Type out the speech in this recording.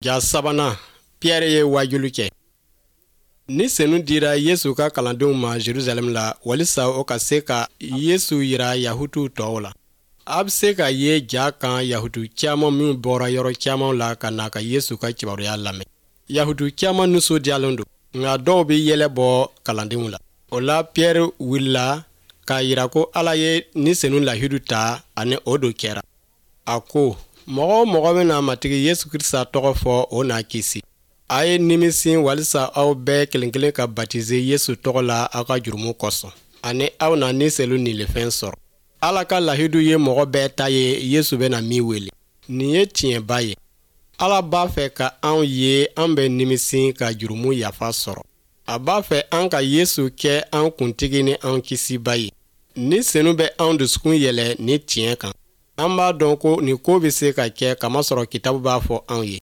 Ja sabanan, Pierre ye waajuli kɛ. Ni Senu dira Yesu ka kalandenw ma Jerusalɛm la walisa o ka se ka Yesu jira Yahutuw tɔw la. A bɛ se ka ye ja kan Yahutu caman minw bɔra yɔrɔ caman la ka na ka Yesu ka kibaruya lamɛn. Yahutu caman nisɔndiyalen don, nka dɔw bɛ yɛlɛ bɔ kalandenw la. O la Pierre wulila k'a jira ko Ala ye Ni Senu lahidu ta ani o don kɛra. A ko, mɔgɔ o mɔgɔ bɛna Matigi Yesu Krisita tɔgɔ fɔ, o na kisi. A ye nimisi walisa aw bɛɛ kelen kelen ka batize Yesu tɔgɔ la aw ka jurumu kosɔn, ani aw na Ni Senu nilifɛn sɔrɔ. Ala ka lahidu ye mɔgɔ bɛɛ ta ye Yesu bɛna min wele. Nin ye tiɲɛba ye. Ala b'a fɛ ka anw ye an bɛ nimisi ka jurumu yafa sɔrɔ. A b'a fɛ an ka Yesu kɛ an kuntigi ni an kisiba ye. Ni Senu bɛ anw dusukun yɛlɛ ni tiɲɛ kan. An b'a dɔn ko nin ko bɛ se ka kɛ kamasɔrɔ kitabu b'a fɔ anw ye.